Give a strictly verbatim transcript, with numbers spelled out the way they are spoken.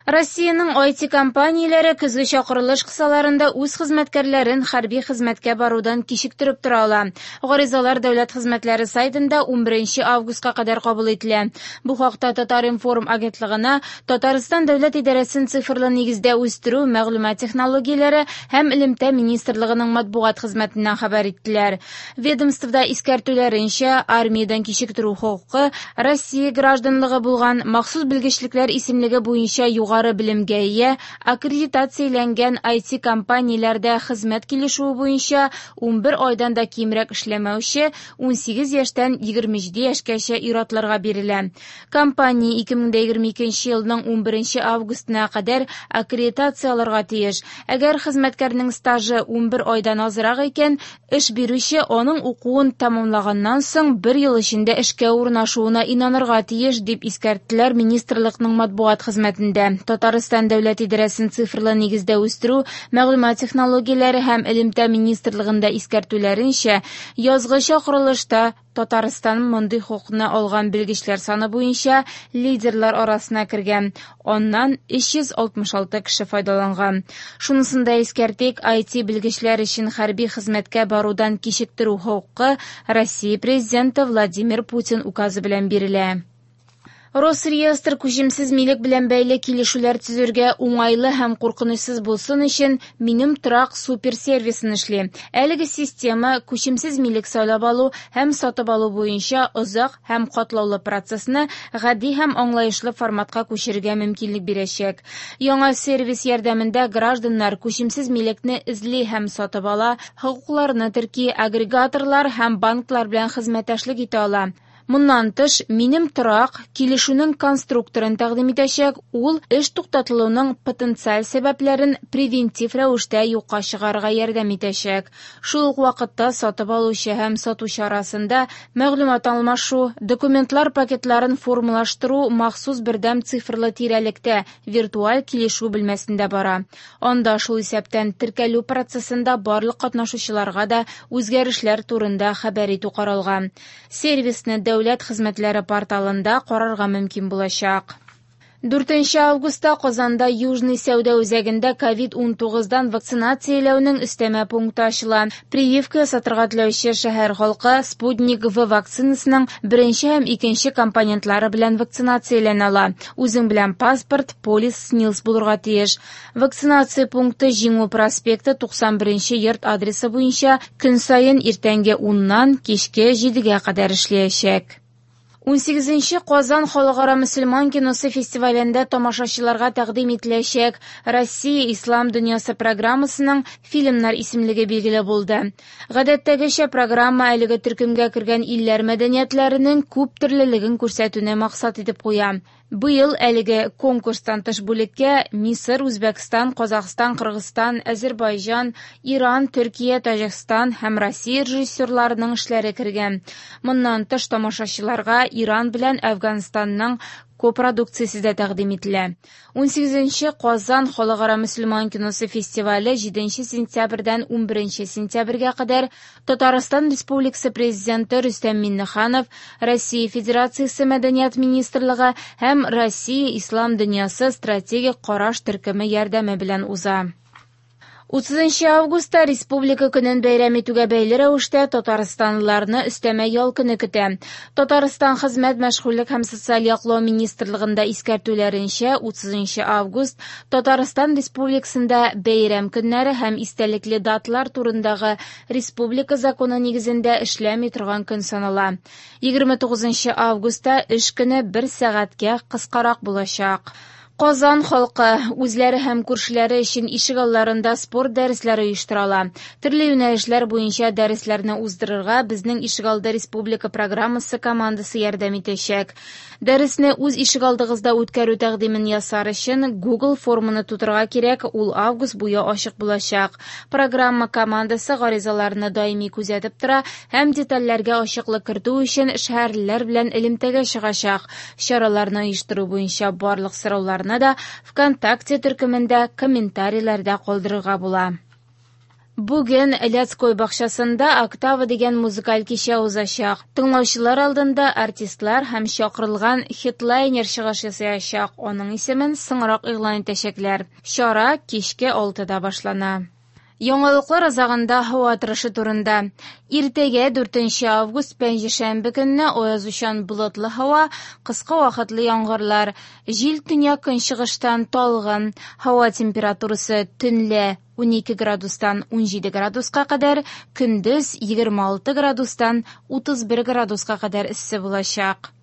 Россиянең ай ти-компанияләре көзге чакырылыш кысаларында үз хезмәткәрләрен хәрби хезмәткә барудан кичектереп тора ала. Гаризалар дәүләт хезмәтләре сайтында унберенче августка кадәр кабул ителә. Бу хакта Татар-информ агентлыгына Татарстан дәүләт идарәсен цифрлы нигездә үстерү, мәгълүмат технологияләре һәм элемтә министрлыгының матбугат хезмәтеннән хәбәр иттеләр. Ведомствода искәртүләренчә, армиядән кичектерү хокукы Россия гражданлыгы булган махсус белгечлекләр исемлеге буенча югары белемгә ия, аккредитацияләнгән ай ти-компанияләрдә хезмәт килешүе буенча унбер айдан да кимрәк эшләмәүче унсигез яшьтән егерме җиде яшькәчә ир-атларга бирелә. Компания ике мең дә егерме икенче елның унберенче августына кадәр аккредитация алырга тиеш. Әгәр хезмәткәрнең стажы унбер айдан азрак икән, эш бирүче аның укуын тәмамлаганнан соң бер ел эчендә эшкә урнашуына инанырга тиеш, дип искәрттеләр министрлыкның матбугат хезмәтендә. Татарстан дәүләт идарәсен цифрлы нигездә үстерү, мәгълүмат технологияләре һәм элемтә министрлыгында искәртүләренчә, язгы чакырылышта Татарстан мондый хокукны алган белгечләр саны буенча лидерлар арасына кергән. Аннан өч йөз алтмыш алты кеше файдаланган. Шунысын да искәртик, ай ти белгечләр өчен хәрби хезмәткә барудан кичектерү хокукы Россия президенты Владимир Путин указы белән бирелә. Росреестр күчемсез милек белән бәйле килешүләр төзергә уңайлы һәм куркынычсыз булсын өчен Минем торак суперсервисын эшли. Әлеге система күчемсез милек сайлап алу һәм сатып алу буенча озак һәм катлаулы процессны гади һәм аңлаешлы форматка күчерергә мөмкинлек бирәчәк. Яңа сервис ярдәмендә гражданнар күчемсез милекне эзли һәм сатып ала, хокукларны терки, агрегаторлар һәм банклар белән хезмәттәшлек итә ала. Моннан тыш, Минем торак килешүнең конструкторын тәкъдим итәчәк, ул эш туктатылуның потенциаль сәбәпләрен превентив рәвештә юкка чыгарырга ярдәм итәчәк. Шул ук вакытта сатып алучы һәм сатучы арасында мәгълүмат алмашу, документлар пакетларын формалаштыру махсус бердәм цифрлы тирәлектә виртуаль килешү бүлмәсендә бара. Анда шул исәптән теркәлү процессында барлык катнашучыларга да үзгәрешләр турында хәбәр итү каралган. Сервисны дәүләт хезмәтләре порталында карарга мөмкин булачак. Дүртенче августта Казанда Южный сәүдә үзәгендә ковид унтугыздан вакцинацияләүнең өстәмә пункты ачыла. Прививка ясатырга теләүче шәһәр халкы Спутник В вакцинасының беренче һәм икенче компонентлары белән вакцинацияләнә ала. Үзең белән паспорт, полис, СНИЛС булырга тиеш. Вакцинация пункты Җиңү проспекты туксан беренче йорт адресы буенча көн саен иртәнге уннан кичке җидегә кадәр эшләячәк. Унсигезенче Казан халыкара мөселман киносы фестивалендә тамашачыларга тәкъдим ителәчәк Россия Ислам дөньясы программасының фильмнар исемлеге билгеле булды. Гадәттәгечә программа әлеге төркемгә кергән илләр мәдәниятләренең күп төрлелеген күрсәтүне максат итеп куя. Быел әлеге конкурстан тыш бүлеккә Мисыр, Үзбәкстан, Казахстан, Кыргызстан, Азербайҗан, Иран, Төркия, Таҗикстан һәм Россия режиссерларының эшләре кергән. Моннан тыш тамашачыларга Иран белән Әфганстанның копродукциясе дә тәкъдим ителә. Унсигезенче Казан халыкара мөселман киносы фестивале җиденче сентябрьдән унберенче сентябрьгә кадәр Татарстан Республикасы Президенты Рөстәм Миңнеханов, Россия Федерациясе Мәдәният Министрлыгы һәм Россия Ислам дөньясы стратегик караш төркеме ярдәме белән уза. Утызынчы августта Республика көнен бәйрәм итүгә бәйле рәвештә татарстанлыларны өстәмә ял көне көтә. Татарстан Хезмәт, мәшгульлек һәм социаль яклау министрлыгында искәртүләренчә, утызынчы август Татарстан Республикасында бәйрәм көннәре һәм истәлекле даталар турындагы республика законы нигезендә эшләми торган көн санала. Егерме тугызынчы августта эш көне бер сәгатькә кыскарак булачак. Казан халкы үзләре һәм күршеләре өчен ишегалларында спорт дәресләре оештыра ала. Төрле юнәлешләр буенча дәресләрне уздырырга безнең ишегалды республика программасы командасы ярдәм итәчәк. Дәресне үз ишегалдыгызда үткәрү тәкъдимен ясар өчен Google форманы тутырырга кирәк, ул август буе ачык булачак. Программа командасы гаризаларны даими күзәтеп тора һәм детальләргә ачыклык кертү өчен шәһәрлеләр белән элемтәгә чыгачак. Чараларны оештыру буенча барлык сорауларны да ВКонтакте төркемендә комментарийларда калдырырга була. Бүген Лядской бакчасында «Октава» дигән музыкаль кичә узачак. Тыңлаучылар алдында артистлар һәм чакырылган хедлайнер чыгыш ясаячак, аның исемен соңрак игълан итәчәкләр. Чара кичке алтыда башлана. Яңалыклар азагында һава торышы турында. Иртәгә дүртенче август пәнҗешәмбе көнне аязучан болытлы һава, кыска вакытлы яңгырлар. Җил төньяк-көнчыгыштан талгын. Һава температурасы төнлә унике градустан унҗиде градуска кадәр, көндез егерме алты градустан утыз бер градуска кадәр эссе булачак.